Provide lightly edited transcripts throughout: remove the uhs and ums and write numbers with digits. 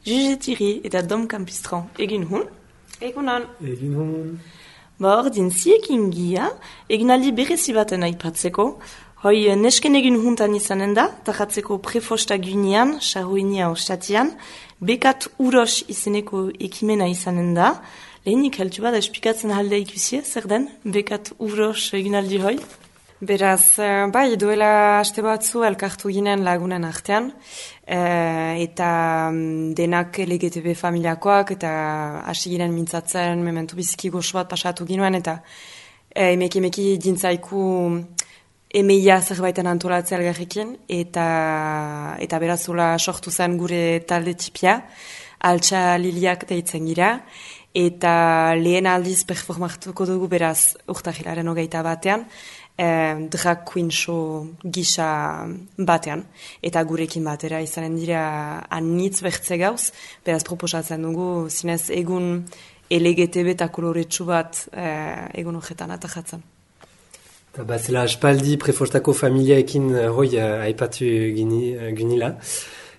Jugetiri eta Dom Campistran. Egun hun? Egunon. Egin hon. Ordin ziekin gia, eginaldi berezi baten aipatzeko. Hoi nesken egun huntan izanen da, tajatzeko prefosta gunean, sarruinia ostatian, bekat uros izeneko ekimena izanen da. Lehenik heltu bada espikatzen halde ikusie, zer den, bekat uros eginaldi hoi? Beraz, bai, duela aste batzu elkartu ginen lagunen artean, eta denak LGTB familiakoak, eta hasi ginen mintzatzen, mementu biziki goxo bat pasatu ginoen, eta emeki dintzaiku emeia zerbaiten antolatzea elgarrekin, eta berazula sortu zen gure talde tipia, altxa liliak deitzen gira, eta lehen aldiz performatuko dugu beraz urtahilaren 21 drag queen show gisa batean, eta gurekin batera izanen dira anitz bertze gauz, beraz proposatzen dugu zinez egun LGTB eta koloretsu bat egun horretan atajatzen. Eta bazela aspaldi prefostako familiaekin hoi aipatu ginila.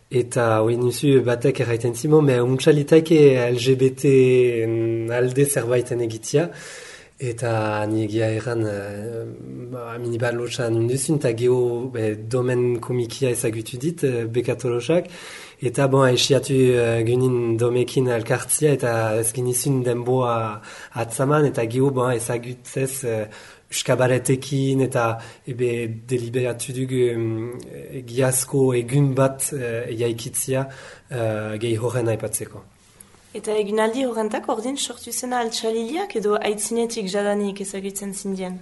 Eta hoi nuzu batek erraiten zimo, me untxalitaike LGBT alde zerbaiten egitia. Eta niegia erran minibar lotxan induzun, eta geho domen komikia ezagutu dit, bekatolosak. Eta esiatu gynin domekin elkartzia, eta ez ginizun denboa atzaman, eta geho ezagutzez uskabaretekin, eta deliberatu dugu giazko egun bat jaikitzia gehi horren aipatzeko. Eta egunaldi horrentak ordin sortu zena altxaliliak edo aitzinetik jadanik ezagutzen zindien?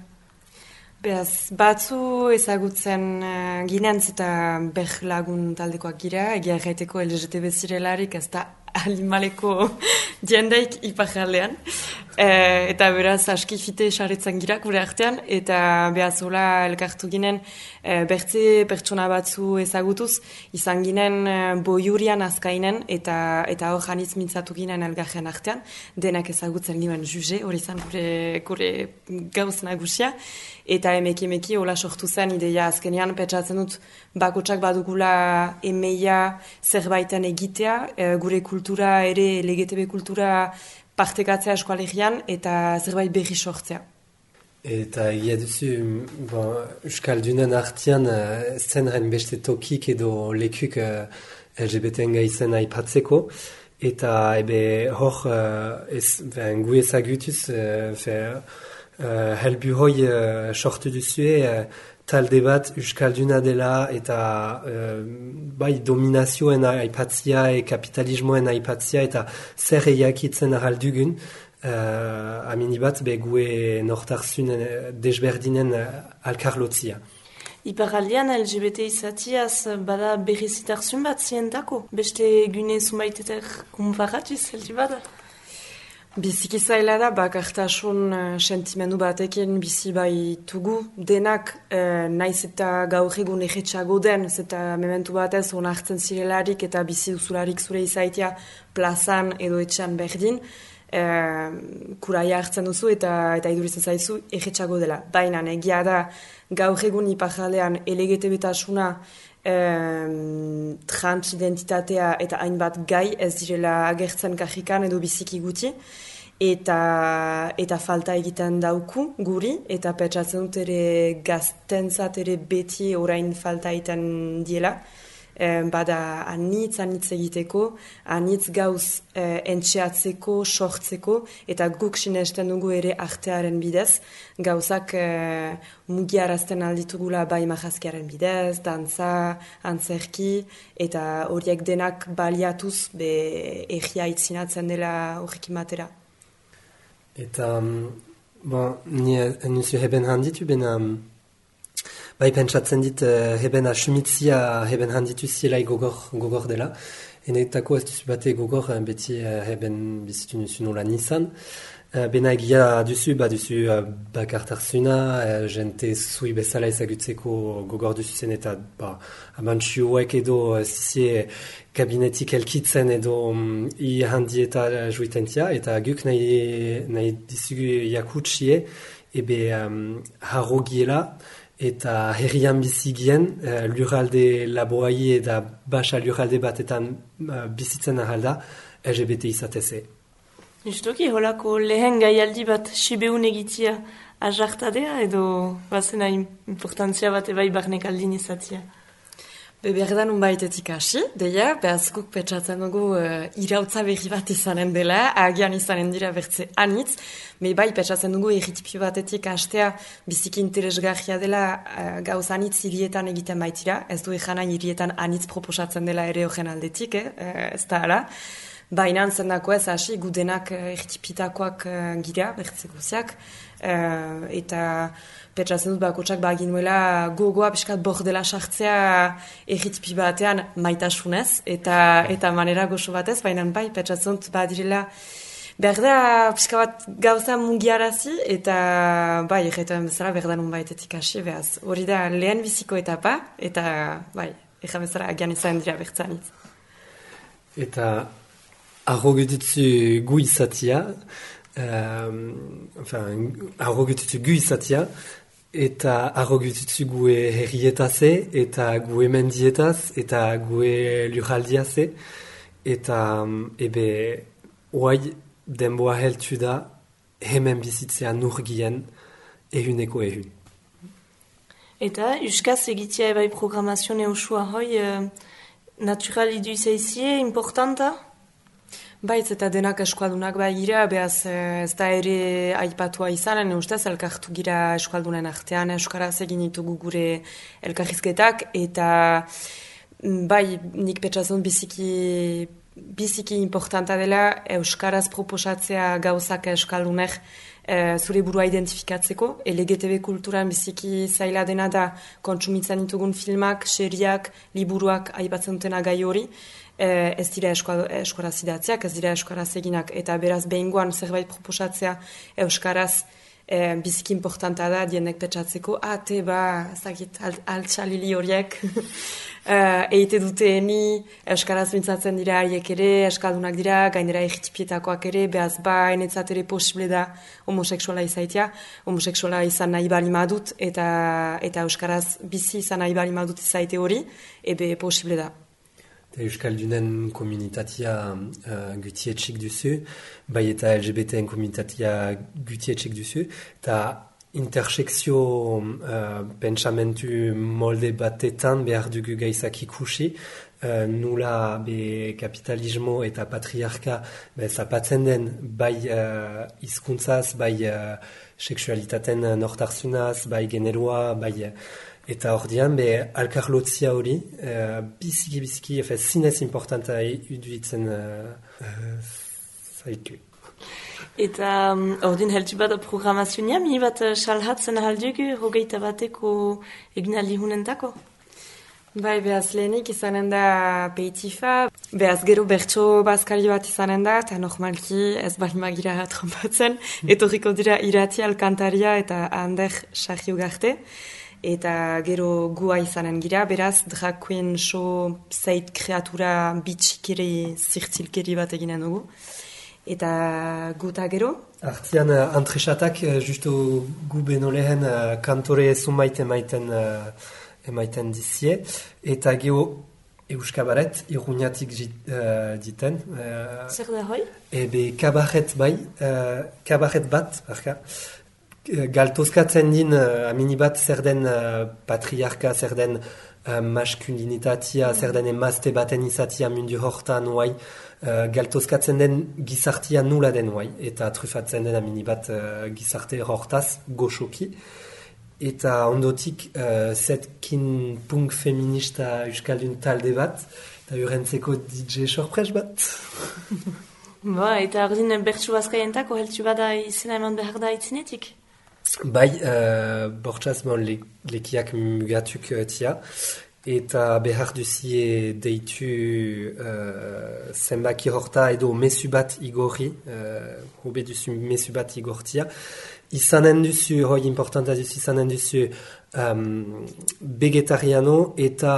Beraz, batzu ezagutzen ginentz eta lagun taldekoak gira, egia erraiteko LGTB zirelarik ez da alimaleko diendaik iparraldean. Eta beraz, aski fite saretzen gira gure artean, eta behazola elkartu ginen bertze pertsona batzu ezagutuz, izan ginen boiurian azkainen, eta hor janitz mintzatu ginen elgarren artean, denak ezagutzen ginen juge, hori izan gure gauz nagusia, eta emeki hola sortu zen ideia azkenean, pentsatzen dut bakotsak badugula emeia zerbaiten egitea, gure kultura ere, LGTB kultura partekatzea eskualegian eta zerbait berri sortzea. Eta egia duzu, Euskaldunen artean zenren beste tokik edo lekuk LGBT-en gaizen aipatzeko, eta hor gu ezagutuz helbu hoi sortu duzue talde bat Euskalduna dela eta dominazioen aipatzia kapitalismoen aipatzia eta zer eiakitzen araldugun aminibat gue nortarzun desberdinen alkarlotzia. Iparaldean LGBT izatiaz bada berrizitarzun bat zientako? Beste gune zumaitetek konparatuz heldu bada? Biziki zaila da, bakartasun sentimendu batekin bizi baitugu denak naiz eta gaur egun egetxago den, eta mementu batez onartzen zirelarik eta bizi duzularik zure izaitia plazan edo etxan berdin, kuraia hartzen duzu eta iduritzen zaizu egetxago dela. Baina egia da gaur egun iparraldean LGTB-tasuna transidentitatea eta hainbat gai ez direla agertzen kajikan edo biziki guti eta falta egiten dauku guri eta pentsatzen dut ere gaztentzat ere beti orain falta egiten diela. Bada anitz egiteko, anitz gauz entxeatzeko, sortzeko, eta guk sinesten dugu ere artearen bidez, gauzak mugiarazten alditugula bai majazkiaren bidez, dantza, antzerki, eta horiek denak baliatuz egia itzinatzen dela horrekin batera. Eta, ni nuzu heben handitu bena... Bai, pentsatzen dit, heben asumitzia, heben handitu zielai gogor dela. Enetako ez duzu bate gogor, beti heben bizitu nuzu nola nizan. Bena egia duzu bakartarzuna, jente zui bezala ezagutzeko gogor duzu zen eta amantxuek edo zizie kabinetik elkitzen edo i handi eta juitentia, eta guk nahi dizugu jakutsie, harro giela, eta herrian bizigien, lurralde laboai eta basa lurralde batetan bizitzen ahalda, LGBT izateze. Justoki, holako lehen gaialdi bat sibeun egitia ajartadea edo bazena importantzia bat ebai barnek aldin izatia? Berdan unbaitetik hasi, deia, behaz guk petsatzen dugu irautza berri bat izanen dela, agian izanen dira bertze anitz, bai petsatzen dugu egitipi batetik hastea biziki interesgarria dela gauz anitz hirietan egiten baitira, ez du egana hirietan anitz proposatzen dela ere horren aldetik, ez da ala. Baina zendako ez hasi, gudenak egitipitakoak gira, bertze guziak, eta petsatzen dut bakotsak baginuela gogoa piskat bordela sartzea egitipi batean maitasunez eta manera gozo batez, baina bai petsatzen dut badirela behar da pixka bat gauza mugiarazi eta bai egiten bezala behar da nun baitetik hasi behaz. Hori da lehen biziko etapa eta bai egin bezala agian izan dira bertzanitz. Eta arrogutitzu gu izatia, arrogutitzu gu izatia, eta arrogutitzu gue herrietaze, eta gue mendietaz, eta gue lurraldiaze, eta ebe oai denboa heltu da hemen bizitzea nurgien ehuneko ehun. Eta euskaz egitea ebai programazio neusua hoi natural idu izaizie importanta? Baitz eta denak eskualdunak bai gira, behaz ez da ere aipatua izanen, ustez elkartu gira eskualdunen artean, euskaraz egin ditugu gure elkarrizketak, eta bai nik petsatzen biziki importanta dela euskaraz proposatzea gauzak euskaldunek zure burua identifikatzeko, LGTB kulturan biziki zaila dena da kontsumitzen ditugun filmak, seriak, liburuak aipatzen dutena gai hori, ez dira euskaraz idatziak, ez dira euskaraz eginak, eta beraz behingoan zerbait proposatzea euskaraz biziki importanta da dienek petsatzeko, ezagit altxalili horiek eite duteeni euskaraz mintzatzen dira haiek ere, eskaldunak dira, gainera egitipietakoak ere, behaz enetzat ere posible da homoseksuala izaitia, homoseksuala izan nahi bali madut, eta euskaraz bizi izan nahi bali madut izaite hori, ebe posible da. Euskaldunen komunitatea gutietxik duzu, bai eta LGBTen komunitatea gutietxik duzu, eta intersekzio pentsamentu molde batetan behar dugu gaizak ikusi, nula kapitalismo eta patriarka zapatzen den bai hizkuntzaz, bai sexualitaten nortarzunaz, bai generoa, bai... Eta hor dian, alkarlotzia hori, biziki, zinez importanta iduitzen zaitu. Eta hor din heltu bat programazioa, mi bat salhatzen ahaldugu, hogeita bateko eginaldi hunentako? Bai, behaz lehenik izanen da peitifa, behaz gero bertso bazkari bat izanen da, eta normalki ez balimagira trompatzen, etorriko dira irati alkantaria eta Ander Sarriugarte. Eta gero gua izanen gira, beraz, drag queen show zait kreatura bitxikeri zirtzilkeri bat eginen dugu. Eta guta gero? Artian, antresatak, justo gu beno lehen kantore zumait emaiten dizie. Eta gero euskabaret, iruniatik diten. Zer da hoi? Ebe kabaret bat, barka. Galtozkatzen din aminibat zer den patriarka, zer den maskulinitatea, zer den emazte baten izatia mundu hortan oai, galtozkatzen den gizartia nula den oai, eta trufatzen den aminibat gizarte hortaz goxoki. Eta ondotik zetkin punk feminista euskaldun talde bat, eta urentzeko DJ sorpres bat. Eta ordin bertsu bazkaientako heltu bada izena eman behar da itzinetik? Bai, bortxaz lekiak mugatuk tia, eta behar duzie deitu zenbaki horta edo mesu bat igorri, hobe duzu mesu bat igortia. Izanen duzu, hoi importanta duzu, izanen duzu vegetariano eta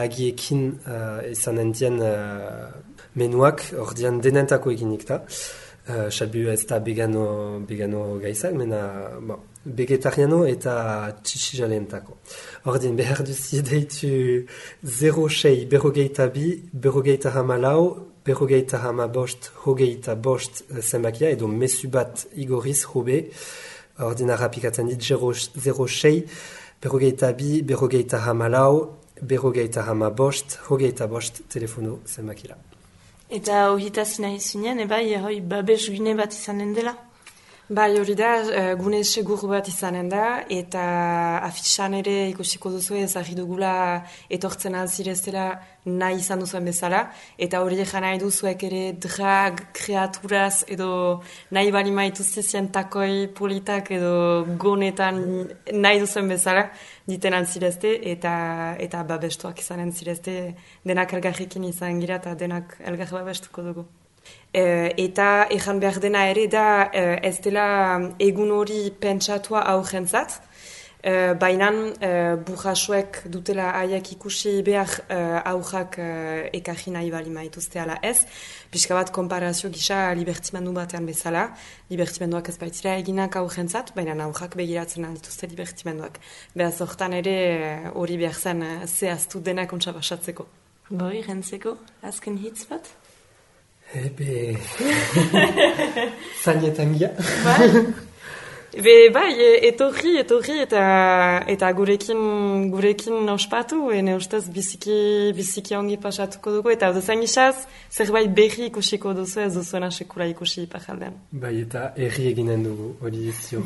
agiekin izanen dien menuak, hor dian denentako eginik da. Salbu ez da vegano gaizak, mena vegetariano eta txixijaleentako. Ordin, behar duzi deitu 06 berrogeita bi, berrogeita hamalau, berrogeita hamabost, hogeita bost zenbakia, edo mesu bat igoriz hobe. Ordin, arrapikatzen dit 06 berrogeita bi, berrogeita hamalau, berrogeita hamabost, hogeita bost telefono zenbakira. Eta ohitaz nahi zunean, hoi babes gune bat izanen dela? Bai, hori da, gune segur bat izanen da, eta afitxan ere ikusiko duzu ezagri dugula etortzen alzirezela nahi izan duzuen bezala, eta hori egan nahi duzuek ere drag, kreaturaz, edo nahi bali maituzizien takoi politak edo gonetan nahi duzuen bezala, diten alzirezte, eta babestuak izanen zirezte, denak elgarrekin izan gira eta denak elgar babestuko dugu. Eta ejan behar dena ere da ez dela egun hori pentsatua aurrentzat, baina burrasuek dutela haiek ikusi behar aurrak ekarri nahi bali maituzte ala ez. Pixka bat konparazio gisa libertimendu batean bezala. Libertimenduak ez baitira eginak aurrentzat, baina aurrak begiratzen dituzte libertimenduak. Beraz hortan ere hori behar zen zehaztu denak ontsa basatzeko. Boi, rentzeko, azken hitz bat? Ebe... Zainetan gira. Bai, etorri eta gurekin ospatu, ene ustez biziki ongi pasatuko dugu, eta zain isaz, zerbait berri ikusiko duzu ez duzuena sekula ikusi ipajaldean. Bai, eta erri eginen dugu, hori zio.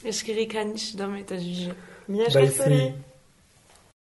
Eskerrik aniz, dame eta juge. Mila eskertzori.